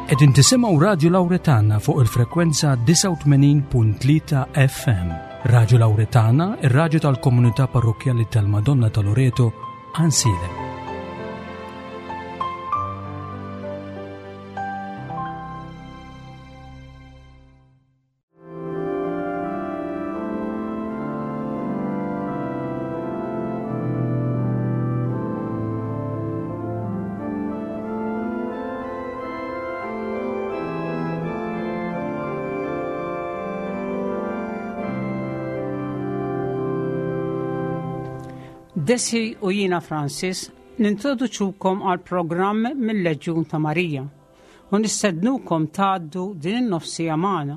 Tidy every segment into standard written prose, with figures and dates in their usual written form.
Qegħdin tisimgħu Radju Lawretana fuq il-frekwenza 89.3 FM. Radju Lawretana, ir-radju tal-komunità parrokkjali tal-Madonna ta' Loreto, Ansilem. Desi u jiena Francis nintroduċukom għal programm mill-Leġjun ta' Marija u nistednukom tgħaddu din in-nofsija magħna.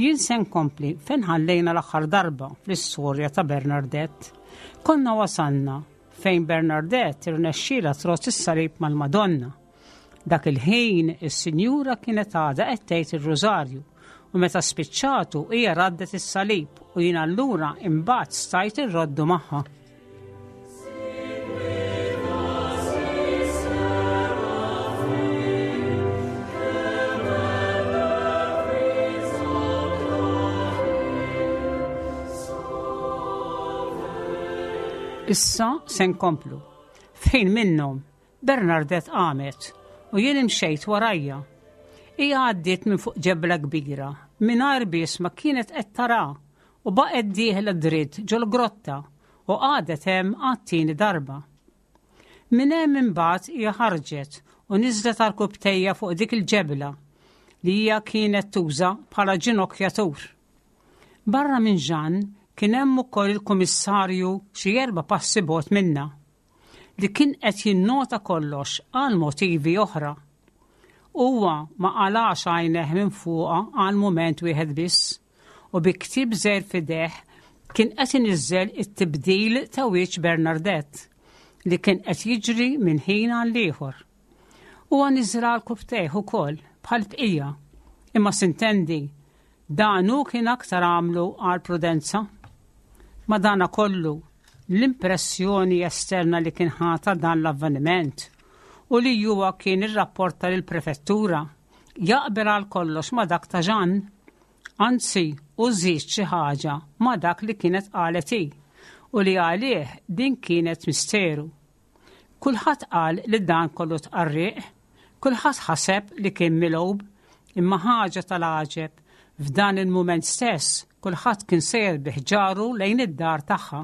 Jien se nkompli fejn ħallejna l-aħħar darba fl-istorja ta' Bernardette. Konna wasalna fejn Bernardette irnexxielha tross is-salib mal-Madonna. Dak il-ħin is-sinjura kienet għadha qed tgħid ir-rużarju u meta spiċċatu hija raddet is-salib u jien allura imbagħad stajt irroddu magħha. Issa se nkomplu. Fejn minnhom Bernardet qamet u jien imxejt warajja. Hija għaddiet minn fuq ġebla kbira, mingħajr biss ma kienet qed tara u baqgħet dieħla dritt ġol-grotta u qagħdet hemm għat-tieni darba. Minn hemm imbagħad hija ħarġet u niżlet għarkupptejha fuq dik il-ġebla li hija kienet tuża bħala ġinokjatur. Barra minn Jeanne kien hemm ukoll il-Kummissarju xi erba' passi bogħod minnha. li kien qed jinnota kollox għal motivi oħra. Huwa ma qalax għajnejh minn fuqha għal mument wieħed biss u bi ktieb żgħir f'idejh kien qed iniżżel it-tibdil ta' wiċċ Bernardette li kien qed jiġri minn ħin għal ieħor. Huwa niżra l-kubtejh ukoll bħall-bqija, imma sintendi dan hu kien aktar għamlu għal prudenza. Madanakollu, l-impressjoni esterna li kien ħa ta' dan l-avveniment u li huwa kien irrapporta lill-prefettura jaqbel għal kollox ma' dak ta' Jeanne. Anzi, hu żied xi ħaġa ma' dak li kienet qalet hi u li għalih din kienet misteru. Kulħadd qal li dan kollu tqarrieq, kulħadd ħaseb li kien milgħub, imma ħaġa tal-għaġeb, f'dan il-mument stess kulħadd kien sejjer bi ħġaru lejn id-dar tagħha.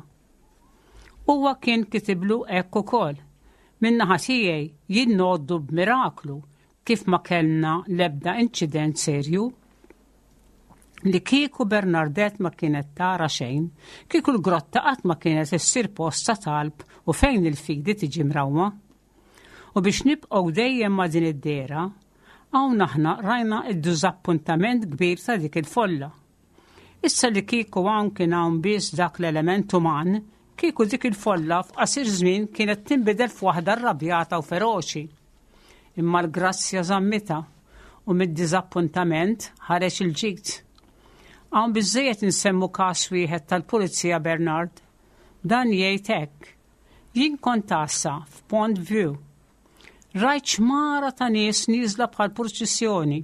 Huwa kien kitiblu hekk ukoll, Min-naħa tiegħi jien ngħoddu b'miraklu kif ma kellna l-ebda inċident serju. Li kieku Bernardette ma kienet tara xejn, kieku l-grotta qatt ma kienet issir post ta' talb u fejn il-fidi tiġi mrawma. U biex nibqgħu dejjem ma' din id-dehra, hawn aħna rajna d-diżappuntament kbir ta' dik il-folla. Issa li kieku hawn kien hawn biss dak l-element uman, kieku dik il-folla f'qasir żmien kienet tinbidel f'waħda rrabjata u feroċi. Imma l-grazzja żammitha u mid-diżappuntament ħareġ il-ġid. Hawn biżżejjed insemmu każ wieħed tal-Pulizija Bernard. Dan jgħid hekk, Jien kont għassa f'Pont View. Rajt xmara ta' nies nieżla bħal purċissjoni.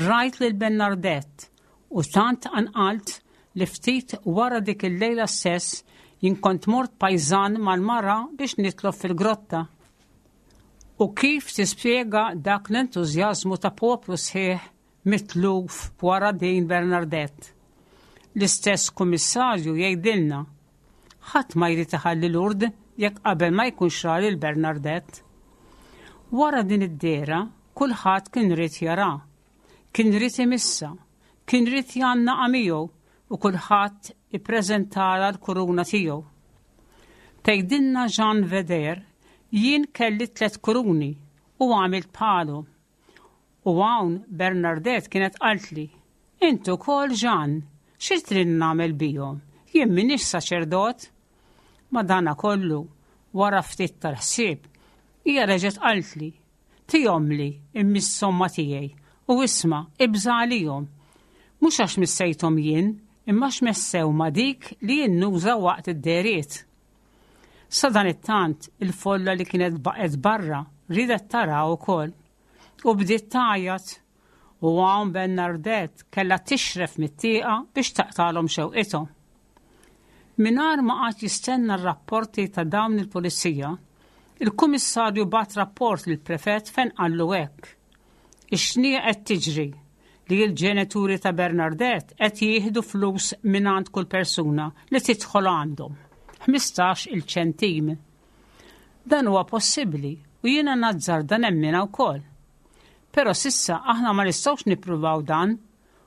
Rajt lil Bernardette u tant tqanqalt li ftit wara dik il-lejla stess jien kont mort pajżan mal-mara biex nitlob fil-grotta. U kif tispjega dak l-entużjażmu ta' poplu sħiħ mitluf wara din Bernardette? L-istess kummissarju jgħidilna, Ħadd ma jrid iħalli Lourdes jekk qabel ma jkunx ra lil Bernardette. Wara din id-dehra, kulħadd kien ried jara. Kien ried imissha. Kien ried jgħannaqha miegħu u kulħadd ippreżentalha l-kuruna tiegħu. Tgħidilna Jeanne Veder, jien kelli tlett kuruni u għamilt bħalhom. U hawn Bernardette kienet qaltli, Int ukoll Jeanne, xi trid nagħmel bihom? Jien m'iniex saċerdot. Madanakollu, wara ftit tal-ħsieb, hija reġgħet qaltli, Tihomli immisshom ma' tiegħi, u isma', ibża' għalihom. Mhux għax missejthom jien, imma għax messew ma' dik li jien nuża waqt id-dehriet. Sadanittant, il-folla li kienet baqgħet barra riedet taraha wkoll. u bdiet tgħajjat. U hawn Bernardette kellha tixref mit-tieqa biex taqtagħlhom xewqithom. Mingħajr ma qagħad jistenna r-rapporti ta' dawn il-pulizija, il-Kummissarju bagħat rapport lill-Prefett fejn qallu hekk, Ix-xniegħa qed tiġri li l-ġenituri ta' Bernardette qed jieħdu flus mingħand kull persuna li tidħol għandhom, 15-il ċentim. Dan huwa possibbli u jiena nazzarda nemminha wkoll. Però s'issa aħna ma nistgħux nippruvaw dan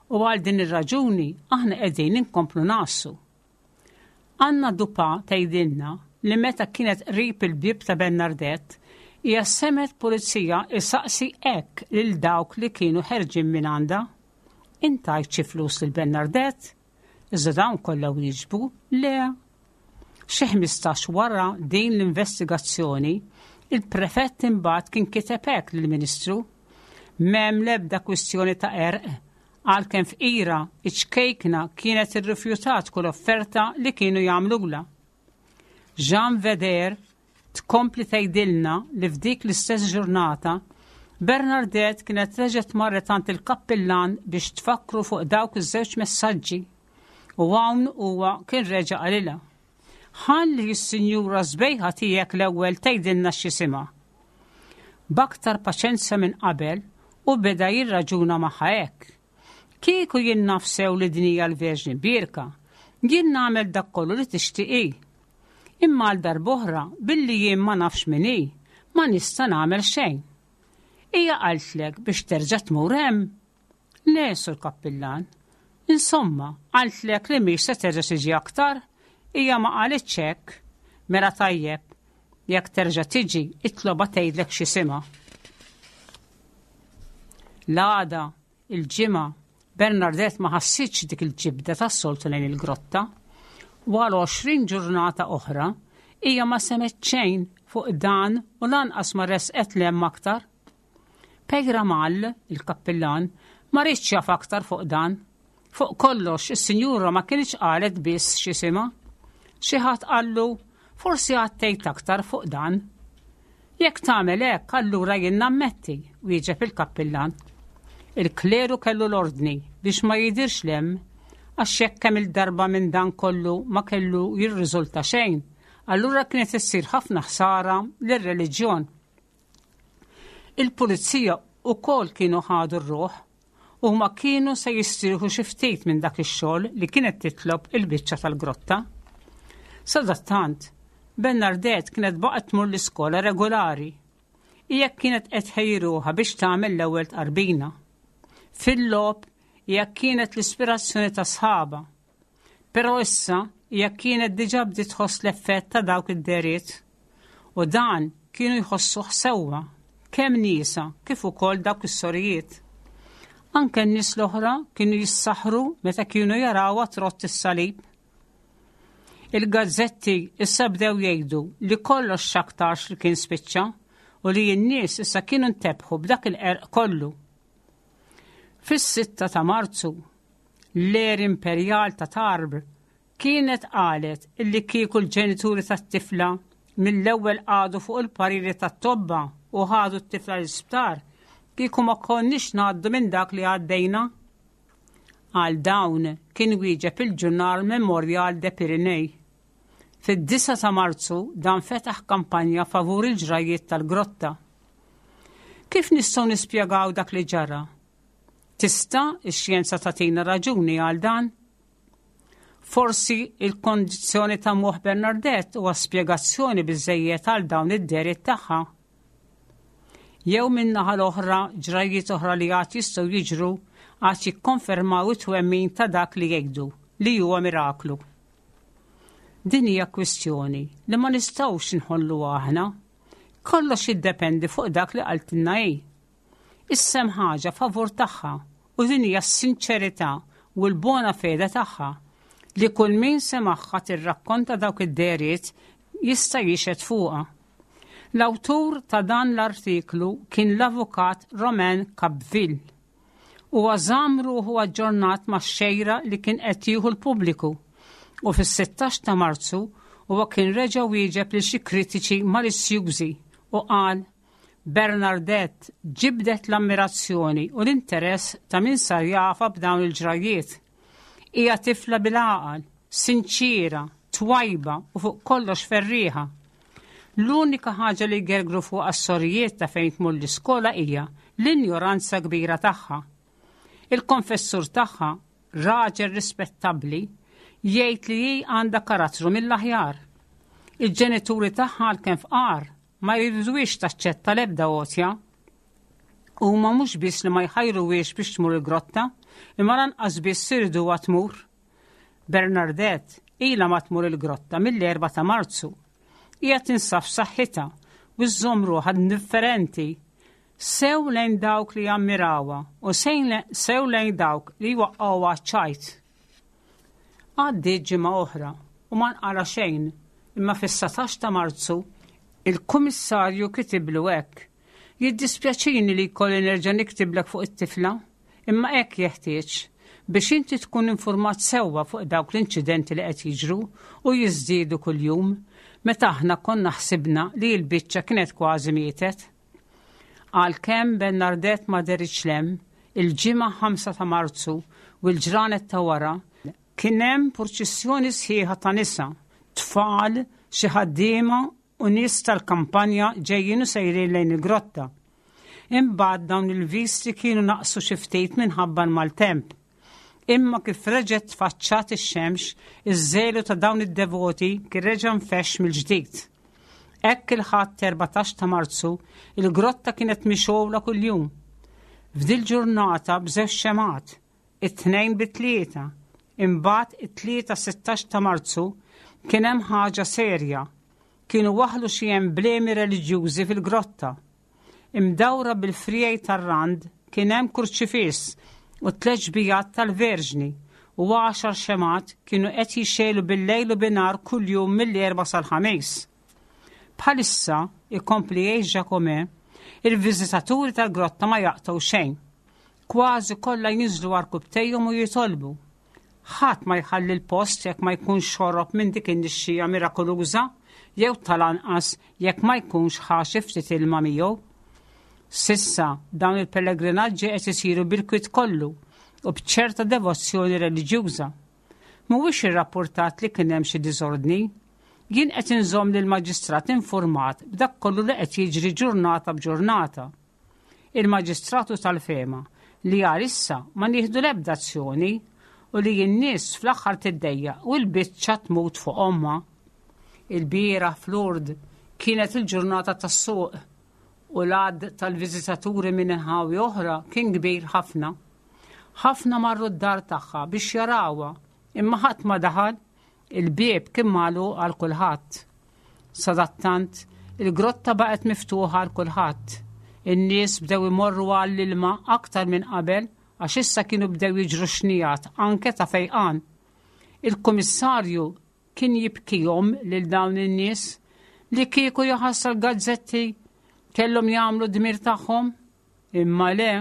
u għal din ir-raġuni aħna qegħdin inkomplu ngħassu. Anna Dupa tgħidilna li meta kienet qrib il-bieb ta' Bernardette, hija semgħet pulizija jsaqsi hekk lil dawk li kienu ħerġin minn għandha, Int tajt xi flus lil Bernardette? Iżda dawn kollha wieġbu le. Xi 15 wara din l-investigazzjoni, il-prefett imbagħad kien kiteb hekk lill-Ministru, M'hemm l-ebda kwistjoni ta' qerq, għalkemm fqira, iċ-ċkejkna kienet irrifjutat kull offerta li kienu jagħmlulha. Jean Veder tkompli tgħidilna li f'dik l-istess ġurnata Bernardette kienet reġgħet marret għand il-kappillan biex tfakkru fuq dawk iż-żewġ messaġġi u hawn huwa kien reġa' qalilha. Ħalli s-sinjura sbejħa tiegħek l-ewwel tgħidilna x'jisimha. B'aktar paċenzja minn qabel u beda jirraġuna magħha hekk. Kieku jien naf sew li din hija l-Verġni Bierka, jien nagħmel dak kollu li tixtieq hi. Imma għal darb'oħra, billi jien ma nafx min hi, ma nista' nagħmel xejn. Hija qaltlek biex terġa' tmur hemm? Le, Sur Kappillan. Insomma, qaltlek li mhix se terġa' tiġi aktar? Hija ma qalitx hekk. Mela tajjeb, jekk terġa' tiġi, itlobha tgħidlek x'isimha. L-għada, il-Ġimgħa, Bernardette ma ħassitx dik il-ġibda tas-soltu lejn il-grotta. Wara 20 ġurnata oħra, hija ma semgħet xejn fuq dan u lanqas ma resqet 'l hemm aktar. Peyramal, il-kappillan, ma riedx jaf aktar fuq dan. Fuq kollox, is-sinjura ma kinitx qalet biss x'isimha. Xi ħadd qallu, Forsi għad tgħid aktar fuq dan. Jekk tagħmel hekk, allura jien nammetti, wieġeb il-kappillan. Il-kleru kellu l-ordni biex ma jidhirx 'l hemm, għax jekk kemm-il darba minn dan kollu ma kellu jirriżulta xejn, allura kienet issir ħafna ħsara lir-reliġjon. Il-pulizija wkoll kienu ħadu r-ruħ. Huma kienu se jistrieħu xi ftit minn dak ix-xogħol li kienet titlob il-biċċa tal-grotta. Sadattant, Bernardette kienet baqgħet tmur l-iskola regolari. Hija kienet qed tħejji ruħha biex tagħmel l-ewwel tqarbina. Fil-logħob hija kienet l-ispirazzjoni ta' sħabha. Però issa hija kienet diġà bdiet tħoss l-effett ta' dawk id-dehriet. U dan kienu jħossuh sewwa, kemm niesha kif ukoll dawk is-sorijiet. Anke n-nies l-oħra kienu jissaħħru meta kienu jarawha trott is-salib. Il-gazzetti issa bdew jgħidu li kollox x'aktarx li kien spiċċa u li n-nies issa kienu ntebħu b'dak il-qerq kollu. Fis-6 ta' Marzu, L-Air Imperial ta' Tarbes kienet qalet illi kieku l-ġenituri tat-tifla mill-ewwel qagħdu fuq il-pariri tat-tobba u ħadu t-tifla l-isptar, kieku ma konniex ngħaddu minn dak li għaddejna. Għal dawn kien wieġeb il-ġurnal Memorial de Pyrénées. Fid-9 ta' Marzu dan fetaħ kampanja favur il-ġrajjiet tal-grotta. Kif nistgħu nispjegaw dak li ġara? Tista' x-xjenza tagħtina raġuni għal dan? Forsi il-kondizzjoni ta' moħħ Bernardette huwa spjegazzjoni biżejjed għal dawn id-deriet tagħha. Jew min-naħa l-oħra ġrajjiet oħra li għad jistgħu jiġru għad jikkonfermaw it-twemmin ta' dak li jgħidu li huwa miraklu. Din hija kwistjoni li ma nistgħux inħolluha aħna. Kollox jiddependi fuq dak li qaltilna hi. Issa hemm ħaġa favur tagħha u din hija s-sinċerità u l-bona fede tagħha li kull min semagħha tirrakkonta dawk id-dehriet jista' jixhed fuqha. L-awtur ta' dan l-artiklu kien l-avukat Romain Capville. Huwa żamm ruħu aġġornat max-xejra li kien qed jieħu l-pubbliku u fis-16 ta' Marzu huwa kien reġa' wieġeb lil xi kritiċi malizzjużi u qal. Bernardette ġibdet l-ammirazzjoni u l-interess ta' min sar jafha b'dawn il-ġrajjiet. Hija tifla bil-għaqal, sinċiera, twajba u fuq kollox ferrieħa. L-unika ħaġa li jgergru fuqha s-sorijiet ta' fejn tmur l-iskola hija l-injoranza kbira tagħha. Il-konfessur tagħha, raġel rispettabbli, jgħid li hi għandha karattru mill-aħjar. Il-ġenituri tagħha għalkemm fqar ma jriduhiex taċċetta l-ebda għotja. Huma mhux biss li ma jħajruhiex biex tmur il-grotta, imma lanqas biss iriduha tmur. Bernardette ilha ma tmur il-grotta mill-4 ta' Marzu. Hija tinsab f'saħħitha u żżomm ruħha indifferenti sew lejn dawk li jammirawha u sew lejn dawk li jwaqqgħuha ċajt. Għaddiet ġimgħa oħra u ma nqala xejn, imma fis-19 ta' Marzu il-Kummissarju kitiblu hekk: Jiddispjaċini li jkolli nerġa' niktiblek fuq it-tifla, imma hekk jeħtieġ biex inti tkun infurmat sewwa fuq dawk l-inċidenti li qed jiġru u jiżdiedu kuljum meta aħna konna ħsibna li l-biċċa kienet kważi mietet. Għalkemm Bernardette ma deritx 'l hemm, il-Ġimgħa 5 ta' Marzu u l-ġranet ta' wara, kien hemm purċissjoni sħiħa ta' nisa, tfal, xi ħaddiema u nies tal-kampanja ġejjin u sejrin lejn il-grotta. Imbagħad dawn il-visti kienu naqsu xi ftit minħabba l-maltemp. Imma kif reġgħet tfaċċat ix-xemx, iż-żelu ta' dawn id-devoti kien reġa' nfexx mill-ġdid. Hekk il-Ħadd 14 ta' Marzu, il-grotta kienet mixgħula kuljum. F'dil ġurnata b'żewġ xemgħat, it-Tnejn bit-Tlieta, imbagħad it-Tlieta 16 ta' Marzu kien hemm ħaġa serja. Kienu waħħlu xi emblemi reliġjużi fil-grotta. Imdawra bil-friegħi tar-rand kien hemm kurċifiss u tliet xbijat tal-Verġni u għaxar xemgħat kienu qed jixegħlu bil-lejl u binhar kuljum mill-Erbgħa sal-Ħamis. Bħalissa, ikompli jgħid Jacomet, il-viżitaturi tal-grotta ma jaqtgħu xejn. Kważi kollha jinżlu għarkupptejhom u jitolbu. Ħadd ma jħalli l-post jekk ma jkunx xorob minn dik in-nixxija mirakoluża jew tal-anqas jekk ma jkunx ħa xi ftit ilma miegħu. S'issa dawn il-pellegrinaġġi qed isiru bil-kwiet kollu u b'ċerta devozzjoni reliġjuża. Mhuwiex irrappurtat li kien hemm xi diżordni. Jien qed inżomm lill-maġistrat infurmat b'dak kollu li qed jiġri ġurnata b'ġurnata. Il-Maġistrat hu tal-fehma li għalissa ma nieħdu l-ebda azzjoni u li n-nies fl-aħħar tiddejjaq u l-biċċa tmut fuq ommha. Ilbieraħ f'Lourdes kienet il-ġurnata tas-suq u l-għadd tal-viżitaturi minn inħawi oħra kien kbir ħafna. Ħafna marru d-dar tagħha biex jarawha imma ħadd ma daħal Il-bieb kien magħluq għal kulħadd. Sadattant, il-grotta baqgħet miftuħa għal kulħadd. In-nies bdew imorru għall-ilma aktar minn qabel għax issa kienu bdew jiġru xnijat anke ta' fejqan. Il-kummissarju kien jibkihom lil dawn in-nies li kieku jaħasra l-gazzetti kellhom jagħmlu d-dmir tagħhom. Imma le,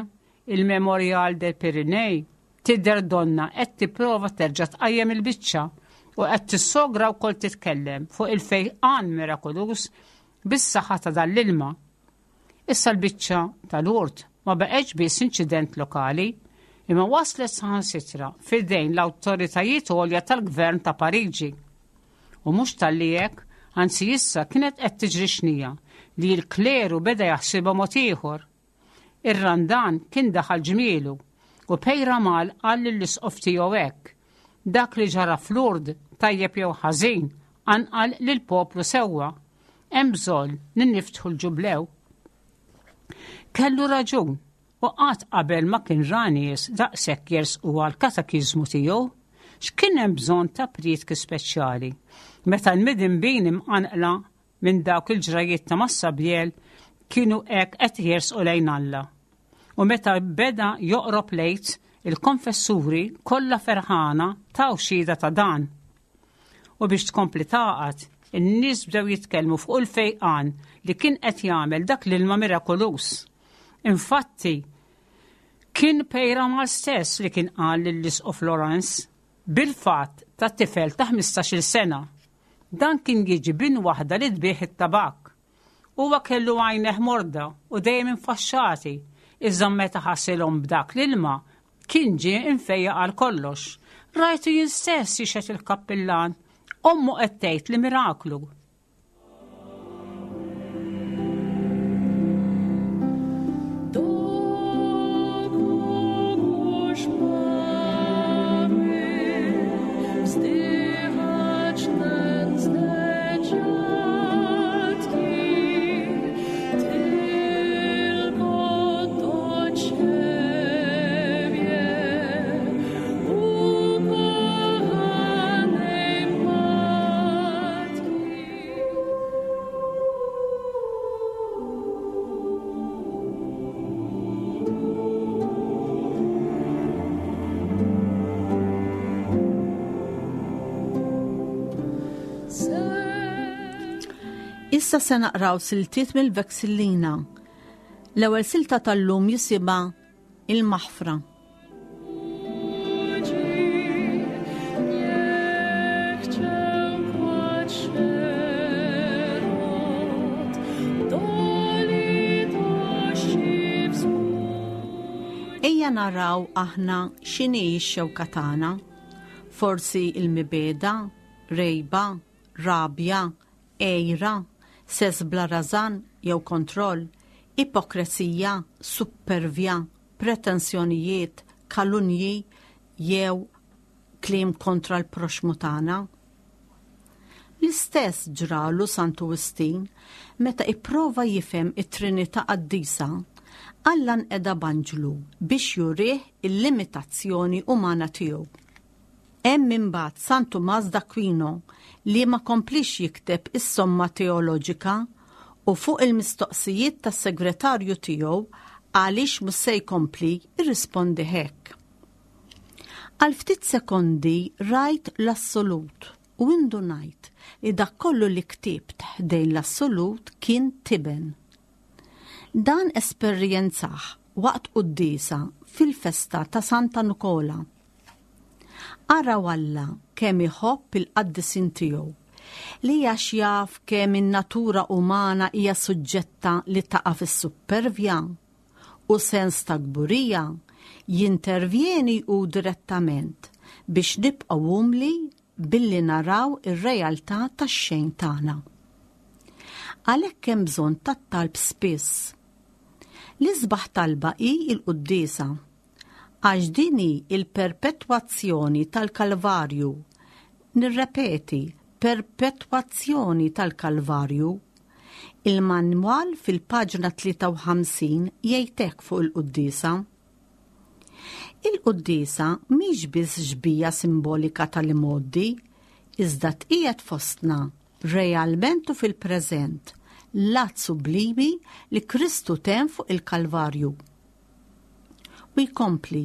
il-Memorial del Pyrénées tidher donnha qed tipprova terġa' tqajjem il-biċċa u qed tissogra wkoll titkellem fuq il-fejqan mirakoluż bis-saħħa ta' dan l-ilma. Issa l-biċċa ta' Lourdes ma baqgħetx biss inċident lokali, imma waslet saħansitra f'idejn l-awtoritajiet għolja tal-gvern ta' Pariġi. U mhux talli hekk, anzi issa kienet qed tiġri xnija li l-kleru beda jaħsibha mod ieħor. Ir-Randan kien daħal ġmielu u Peyramal qal lill-isqof tiegħu hekk, Dak li ġara f'Lourdes, tajjeb jew ħażin, qanqal lill-poplu sewwa. Hemm bżonn li niftħu l-ġublew. Kellu raġun u qatt qabel ma kien ra nies daqshekk jersqu għall-katakiżmu tiegħu. X'kien hemm bżonn ta' prietki speċjali meta l-midinbin imqanqla minn dawk il-ġrajjiet ta' Massabielle kienu hekk qed jersqu lejn Alla. U meta beda joqrob l-Għid, il-konfessuri kollha ferħana taw xhieda ta' dan. U biex tkompli tagħqad, in-nies bdew jitkellmu fuq il-fejqan li kien qed jagħmel dak l-ilma mirakoluż. Infatti, kien Peyramal stess li kien qal lill-Isqof Laurence bil-fatt ta' tifel ta' 15-il sena. Dan kien jiġi bin waħda li tbigħ it-tabakk. Huwa kellu għajnejh morda u dejjem infaxxati, iżda meta ħasilhom b'dak l-ilma, kien ġie imfejjaq għal kollox. Rajtu jien stess jixhed il-kappillan. Ommu qed tgħid li miraklu. Issa se naqraw siltiet mill-Vexillina. L-ewwel silta tal-lum jisimha Il-Maħfra. Ejja naraw aħna x'inhi x-xewka tagħna. Forsi il-mibeda, rejba, rabja, għira, sess bla rażan jew kontroll, ipokrezija, suppervja, pretensjonijiet, kalunji jew kliem kontra l-proxxmu tagħna. L-istess ġralu Santu Wistin meta ipprova jifhem it-Trinità Qaddisa, Alla nqeda b'anġlu biex jurih il-limitazzjoni umana tiegħu. Hemm imbagħad San Tumas d'Aquino li ma kompliex jikteb is-Somma Teoloġika u fuq il-mistoqsijiet tas-segretarju tiegħu għaliex mhux se jkompli rrispondi hekk. Għal ftit sekondi rajt l-assolut u indunajt li dak kollu li ktibt ħdejn l-assolut kien tiben. Dan esperjenzah waqt quddiesa fil-festa ta' Santa Nikola. Araw Alla kemm iħobb il-qaddisin tiegħu, li għax jaf kemm in-natura umana hija suġġetta li taqa' fis-suppervja u sens ta' kburija, jintervjeni hu direttament biex nibqgħu umli billi naraw ir-realtà tax-xejn tagħna. Għalhekk hemm bżonn tat-talb spiss. L-isbaħ talba hi l-quddiesa Għax din hi l-perpetwazzjoni tal-Kalvarju. Nirrepeti, perpetwazzjoni tal-Kalvarju. Il-manwal fil-paġna 53 jgħid hekk fuq il-quddiesa. Il-quddiesa mhix biss xbija simbolika tal-imgħoddi, iżda tqiegħed fostna, realment u fil-preżent, l-att sublimi li Kristu temm fuq il-Kalvarju. U jkompli,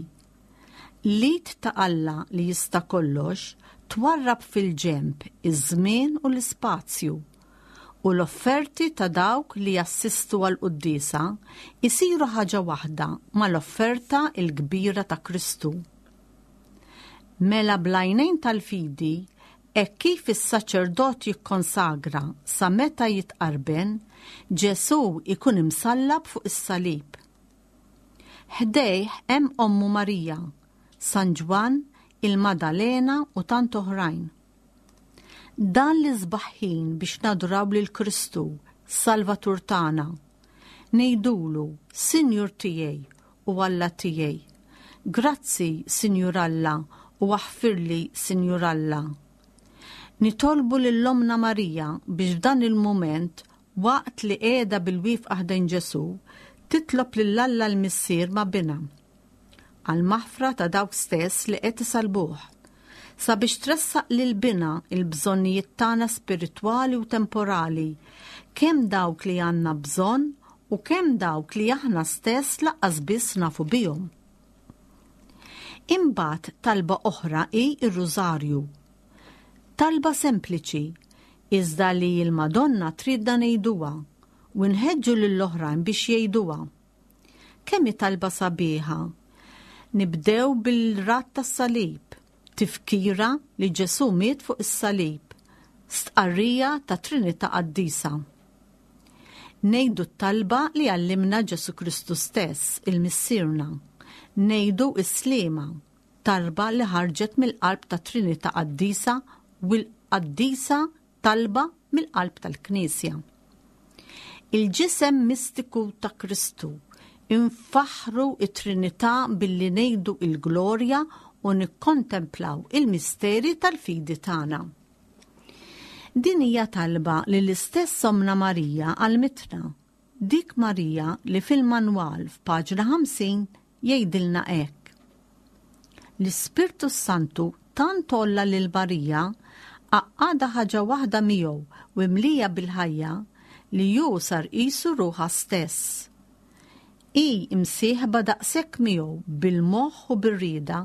L-id ta' Alla li jista' kollox twarrab fil-ġenb iż-żmien u l-ispazju, u l-offerti ta' dawk li jassistu għall-quddiesa jsiru ħaġa waħda mal-offerta l-kbira ta' Kristu. Mela bl-għajnejn tal-fidi, hekk kif is-saċerdot jikkonsagra sa meta jitqarben, Ġesù jkun imsallab fuq is-salib. Ħdejh hemm ommu Marija, San Ġwann, il-Madalena u tant oħrajn. Dan l-isbaħ ħin biex naduraw lil Kristu, Salvatur tagħna. Ngħidulu, Sinjur tiegħi u Alla tiegħi. Grazzi, Sinjur Alla, u aħfirli, Sinjur Alla. Nitolbu lil Ommna Marija biex f'dan il-mument Waqt li qiegħda bil-wieqfa ħdejn Ġesù, titlob lil Alla l-Missier ma' Binha għall-maħfra ta' dawk stess li qed isallbuh, sabiex tressaq lil Binha l-bżonnijiet tagħna spiritwali u temporali, kemm dawk li għandna bżonn u kemm dawk li aħna stess laqqas biss nafu bihom. Imbagħad talba oħra hi r-Rużarju. Talba sempliċi, iżda li l-Madonna tridna ngħiduha u nħeġġu lill-oħrajn biex jgħiduha. Kemm hi talba sabiħa! Nibdew bil-radd tas-salib, tifkira li Ġesù miet fuq is-salib, stqarrija ta' Trinità Qaddisa. Ngħidu t-talba li għallimna Ġesù Kristu stess, il-Missierna. Ngħidu s-Sliema, talba li ħarġet mill-qalb tat-Trinità Qaddisa u l-qaddisa talba mill-qalb tal-Knisja. Il-ġisem mistiku ta' Kristu infaħħru it-Trinità billi ngħidu il-glorja u nikkontemplaw il-misteri tal-fidi tagħna. Din hija talba li l-istess Ommna Marija għallmitna, dik Marija li fil-manwal f'paġna 50 jgħidilna hekk. L-Ispirtu s-Santu tant għolla lil Marija, għaqqadha ħaġa waħda miegħu u imlija bil-ħajja, li hu sar qisu ruħha stess. Hi msieħba daqshekk miegħu bil-moħħ u bir-rieda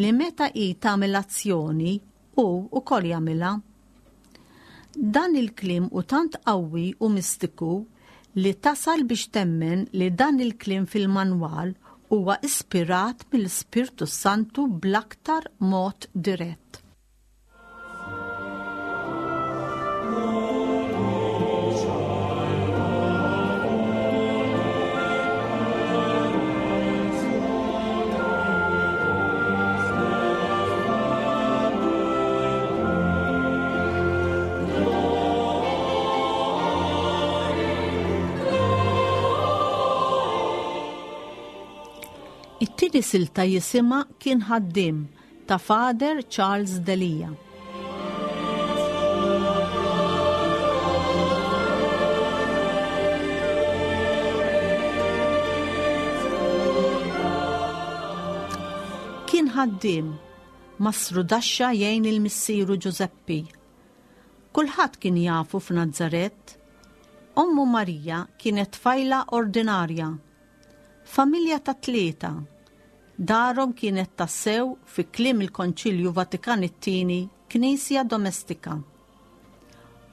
li meta hi tagħmel azzjoni hu wkoll jagħmilha. Dan il-kliem hu tant qawwi u mistiku li tasal biex temmen li dan il-kliem fil-manwal huwa ispirat mill-Ispirtu s-Santu bl-aktar mod dirett. It-tieni silta jisimha Kien Ħaddiem ta' Father Charles Delia. Kien ħaddiem, mastrudaxxa jgħin il missieru Ġużeppi. Kulħadd kien jafu f'Nazaret. Ommu Marija kienet tfajla ordinarja. Familja ta' tlieta. Darhom kienet tassew, fi kliem il-Konċilju Vatikan it-Tieni, knisja domestika.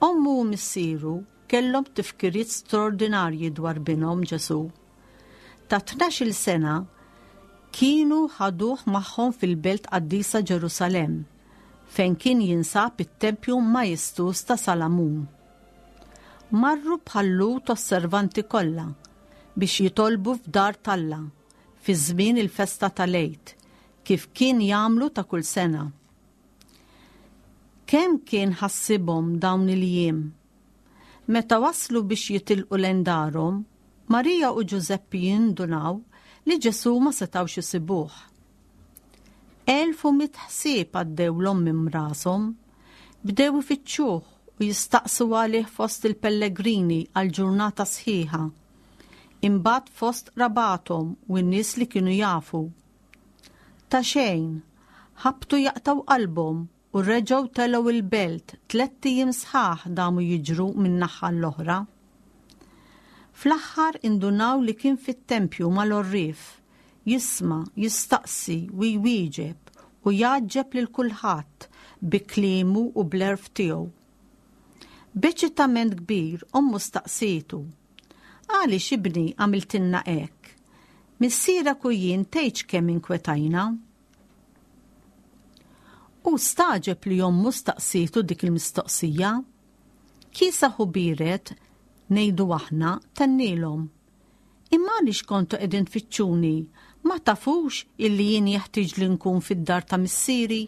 Ommu u missieru kellhom tifkiriet straordinarji dwar binhom Ġesù. Ta' tnax-il sena kienu ħaduh magħhom fil-belt qaddisa Ġerusalemm, fejn kien jinsab it-tempju majestuż ta' Salamun. Marru bħal-Lhud osservanti kollha biex jitolbu f'dar t'Alla fi żmien il-festa tal-Għid, kif kien jagħmlu ta' kull sena. Kemm kien ħassibhom dawn il-jiem! Meta waslu biex jitilqu lejn darhom, Marija u Ġużeppi jindunaw li Ġesù ma setgħux isibuh. 1100 ħsieb għaddewlhom minn rashom. Bdew ifittxuh u jistaqsu għalih fost il-pellegrini għal ġurnata sħiħa. Imbagħad fost qrabathom u n-nies li kienu jafu. Ta' xejn, ħabtu jaqtgħu qalbhom u reġgħu telgħu il-belt tlett ijiem sħaħ damu jiġru minn naħa l-oħra. Fl-aħħar indunaw li kien fit-tempju mal-għorrief, jisma', jistaqsi u jwieġeb u jgħaġġeb lil kulħadd bi kliemu u bl-għerf tiegħu. B'eċitament kbir ommu staqsietu, Għaliex ibni għamiltilna hekk? Missierek u jien tgħidx kemm inkwetajna. Hu stagħġeb li ommu staqsietu dik il-mistoqsija. Kiesaħ u biered, ngħidu aħna, tennielhom, Imma għaliex kontu qegħdin tfittxuni? Ma tafux illi jien jeħtieġ li nkun fid-dar ta' missieri?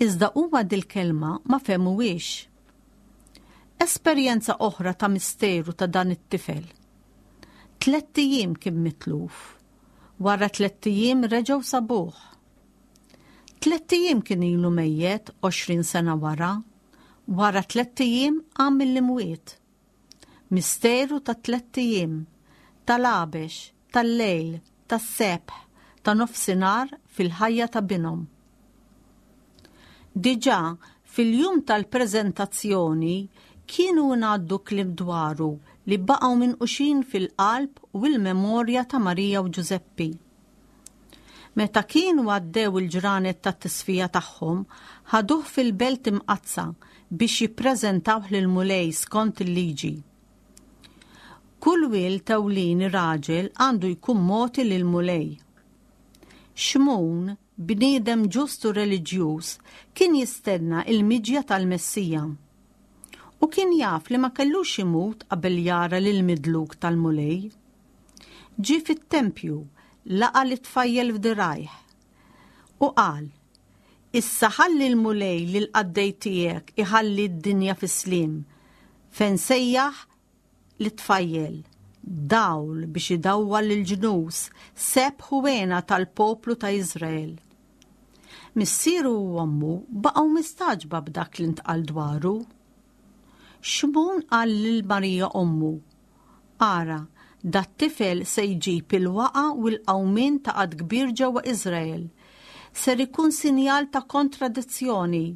Iżda huma dil-kelma ma fehmuhiex. Esperjenza oħra ta' misteru ta' dan it-tifel. Tlett ijiem kien mitluf. Wara tlett ijiem reġgħu sabuh. Tlett ijiem kien ilu mejjet 20 sena wara. Wara tlett ijiem qam mill-imwiet. Misteru ta' tlett ijiem, tal-għabex, tal-lejl, tas-sebħ, ta' nofsinhar fil-ħajja ta' binhom. Diġà fil-jum tal-preżentazzjoni kienu ngħaddu kliem dwaru li baqgħu minquxin fil-qalb u l-memorja ta' Marija u Ġużeppi. Meta kienu għaddew il-ġranet tat-tisfija tagħhom, ħaduh fil-Belt Imqaddsa biex jippreżentawh lill-Mulej skont il-Liġi. Kull wild ewlieni raġel għandu jkun mogħti lill-Mulej. Xmun, bniedem ġust u reliġjuż, kien jistenna l-miġja tal-Messija. U kien jaf li ma kellux imut qabel jara lil midluk tal-Mulej. Ġie fit-tempju, laqa' lit-tfajjel f'dirgħajh, u qal, Issa ħalli l-Mulej lill-qaddej tiegħek iħalli d-dinja fis-sliem, fejn sejjaħ lit-tfajjel, dawl biex idawwal lill-ġnus, sebħ u hena tal-poplu ta' Iżrael. Missieru u ommu baqgħu mistagħġba b'dak li ntqal dwaru. Xmun qal lil Marija ommu, Ara, dat-tifel se jġib il-waqgħa u l-qawmien ta' għadd kbir ġewwa Iżrael. Ser ikun sinjal ta' kontradizzjoni,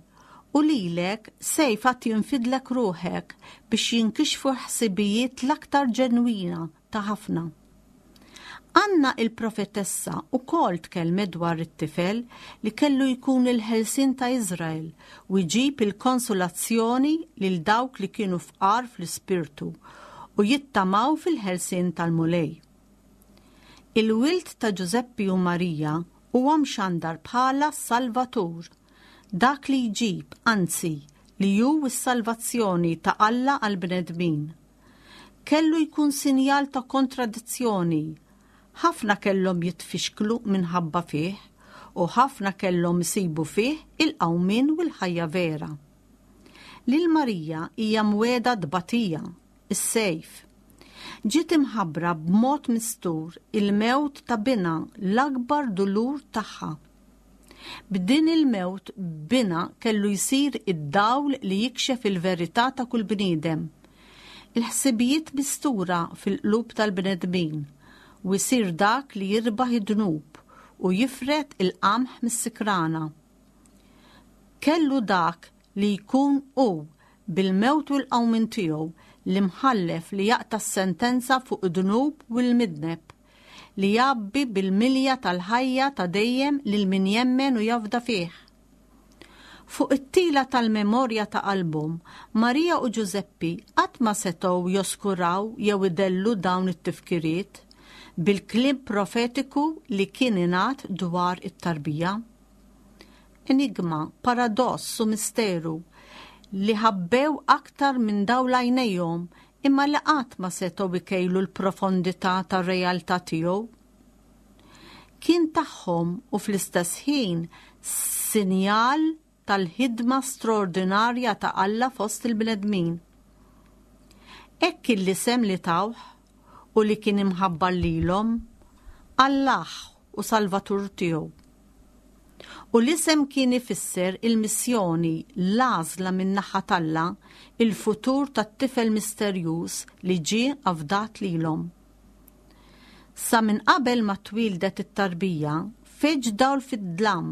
u lilek sejf għad jinfidlek ruħek biex jinkixfu l-ħsibijiet l-aktar ġenwina ta' ħafna. Anna il-profetessa wkoll tkellmet dwar it-tifel li kellu jkun il-ħelsien ta' Iżrael u jġib il-konsolazzjoni lil dawk li kienu fqar fl-ispirtu u jittamaw fil-ħelsien tal-Mulej. Il-wild ta' Ġużeppi u Marija huwa mxandar bħala s-Salvatur, dak li jġib, anzi, li hu s-salvazzjoni ta' Alla għall-bnedmin. Kellu jkun sinjal ta' kontradizzjoni. Ħafna kellhom jitfixklu minħabba fih u ħafna kellhom isibu fih il-qawmien u l-ħajja vera. Lil Marija hija mwiegħda tbatija, is-sejf. Ġiet imħabbra b'mod mistur il-mewt ta' binha l-akbar dulur tagħha. B'din il-mewt binha kellu jsir id-dawl li jikxef il-verità ta' kull bniedem, il-ħsibijiet mistura fil-qlub tal-bnedmin, u jsir dak li jirbaħ id-dnub u jifred il-qamħ mis-sikrana. Kellu dak li jkun hu, bil-mewt u l-qawmien tiegħu, l-imħallef li jaqta' s-sentenza fuq id-dnub u l-midneb. li jgħabbi bil-milja tal-ħajja ta' dejjem lil min jemmen u jafda fih. Fuq it-tila tal-memorja ta' qalbhom, Marija u Ġużeppi qatt ma setgħu joskuraw jew idellu dawn it-tifkiriet bil-kliem profetiku li kien ingħad dwar it-tarbija. Enigma, paradoss u misteru li ħabbew aktar minn dawl għajnejhom imma li qatt ma setgħu jkejlu l-profondità tar-realtà tiegħu. Kien tagħhom u fl-istess ħin sinjal tal-ħidma straordinarja ta' Alla fost il-bnedmin. Hekk kien l-isem li tawh u li kien imħabbar lilhom, Allah u Salvatur tiegħu. U l-isem kien ifisser il-missjoni, l-għażla min-naħa t'Alla, il-futur tat-tifel misterjuż li ġie afdat lilhom. Sa minn qabel ma twieldet it-tarbija, feġġ dawl fid-dlam,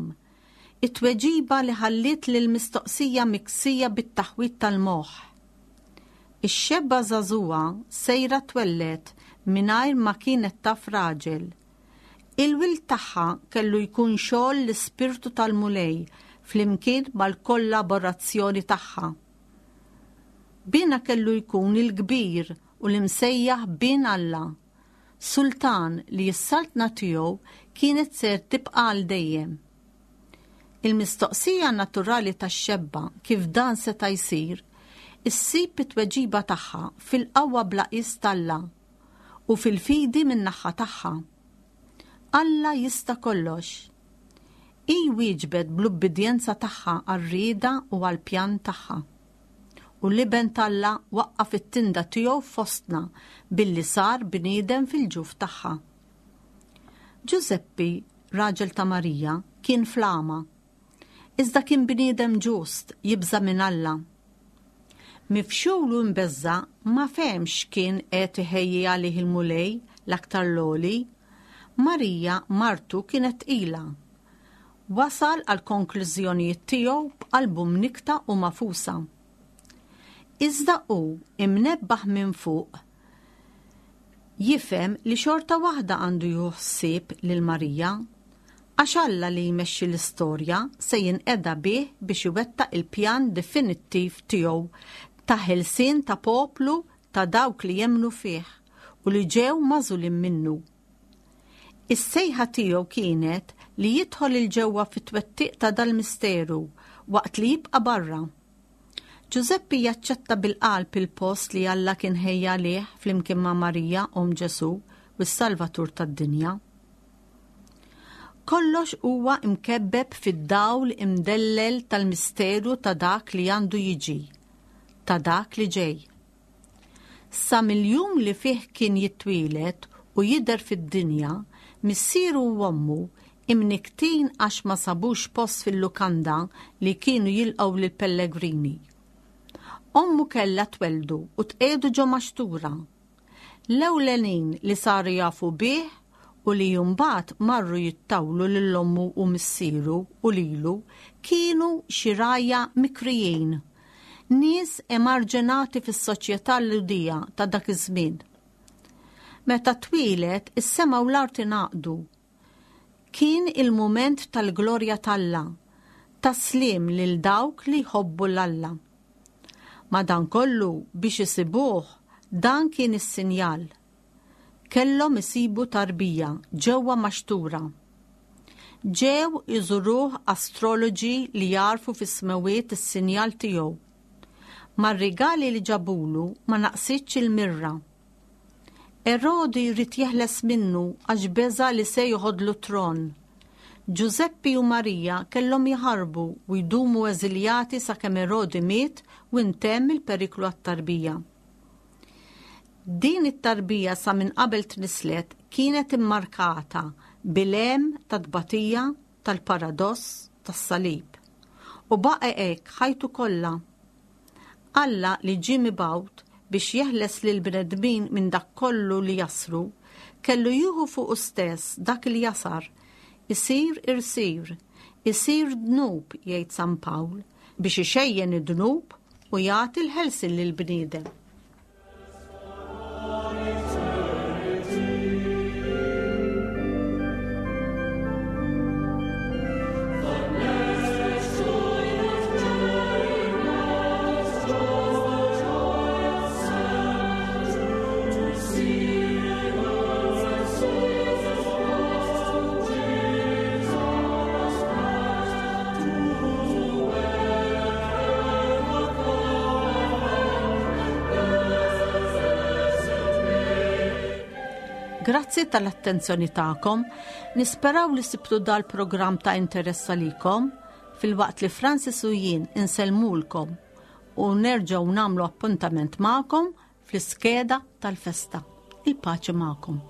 it-tweġiba li ħalliet lill-mistoqsija miksija bit-taħwid tal-moħħ. Ix-xebba żagħżugħa sejra twelled mingħajr ma kienet taf raġel. Il-wild tagħha kellu jkun xogħol l-Ispirtu tal-Mulej flimkien mal-kollaborazzjoni tagħha. Binha kellu jkun il-kbir u l-imsejjaħ Bin Alla, Sultan li s-saltna tiegħu kienet ser tibqa' għal dejjem. Il-mistoqsija naturali tax-xebba kif dan seta' jsir, issib it-tweġiba tagħha fil-qawwa bla qies t'Alla u fil-fidi min-naħha tagħha. Alla jista' kollox. Hi wieġbet bl-ubbidjenza tagħha għar-rieda u għall-pjan tagħha. U l-Iben t'Alla waqqaf it-tinda tiegħu fostna billi sar bniedem fil-ġuf tagħha. Ġużeppi, raġel ta' Marija, kien fl-għama. Iżda kien bniedem ġust, jibża' minn Alla. Mifxul u mbeżża' ma fehemx x'kien qed iħejji għalih il-Mulej l-Aktar l-Għoli. Marija, martu, kienet tqila. Wasal għall-konklużjonijiet tiegħu b'qalbu mnikkta u magħfusa. Iżda hu, imnebbaħ minn fuq, jifhem li xorta waħda għandu jieħu ħsieb lil Marija. Għax Alla li jmexxi l-istorja se jinqeda bih biex iwettaq il-pjan definittiv tiegħu ta' ħelsien ta' poplu ta' dawk li jemmnu fih u li ġew magħżulin minnu. Is-sejħa tiegħu kienet li jidħol 'il ġewwa fit-twettiq ta' dal-misteru waqt li jibqa' barra. Ġużeppi jaċċetta bil-qalb il-post li Alla kien ħejja għalih flimkien ma' Marija, omm Ġesù, u s-Salvatur tad-dinja. Kollox huwa imkebbeb fid-dawl imdellel tal-misteru ta' dak li għandu jiġi, ta' dak li ġej. Sa mill-jum li fih kien jitwieled u jidher fid-dinja, missieru u ommu, imnikktin għax ma sabux post fil-lukanda li kienu jilqgħu lill-pellegrini. Ommu kellha twelldu u tqiegħdu ġo maxtura. L-ewlenin li saru jafu bih u li mbagħad marru jittawlu lil ommu u missieru u lilu kienu xi rgħajja mikrijin, nies emarġinati fis-soċjetà Lhudija ta' dak iż-żmien. Meta twieled, is-sema u l-art ingħaqdu Kien il-mument tal-glorja t'Alla, tas-sliem lil dawk li jħobbu 'l Alla. Madankollu, biex isibuh, dan kien is-sinjal. Kellhom isibu tarbija ġewwa maxtura. Ġew iżuruh astroloġi li jagħrfu fis-smewwiet is-sinjal tiegħu. Mar-rigali li ġabulu ma naqsitx il-mirra. Erodi ried jeħles minnu għax beża' li se joħodlu t-tron. Ġużeppi u Marija kellhom jaħarbu u jdumu eżiljati sakemm Erodi miet u ntemm il-periklu għat-tarbija. Din it-tarbija sa minn qabel tnisslet kienet immarkata bil-hemm tat-tbatija, tal-paradoss, tas-salib. U baqa' hekk ħajtu kollha. Alla li ġie mibgħut biex jeħles lill-bnedmin minn dak kollu li jasru, kellu jieħu fuqu stess dak il-jasar, isir irsir, isir dnub, jgħid San Pawl, biex ixejjen id-dnub u jagħti l-ħelsien lill-bniedem. Grazzi tal-attenzjoni tagħkom. Nisperaw li sibtu dal-programm ta' interess għalikom filwaqt li Francis u jien insellmulkom u nerġgħu nagħmlu appuntament magħkom fl-iskeda tal-festa. Il-paċi magħkom.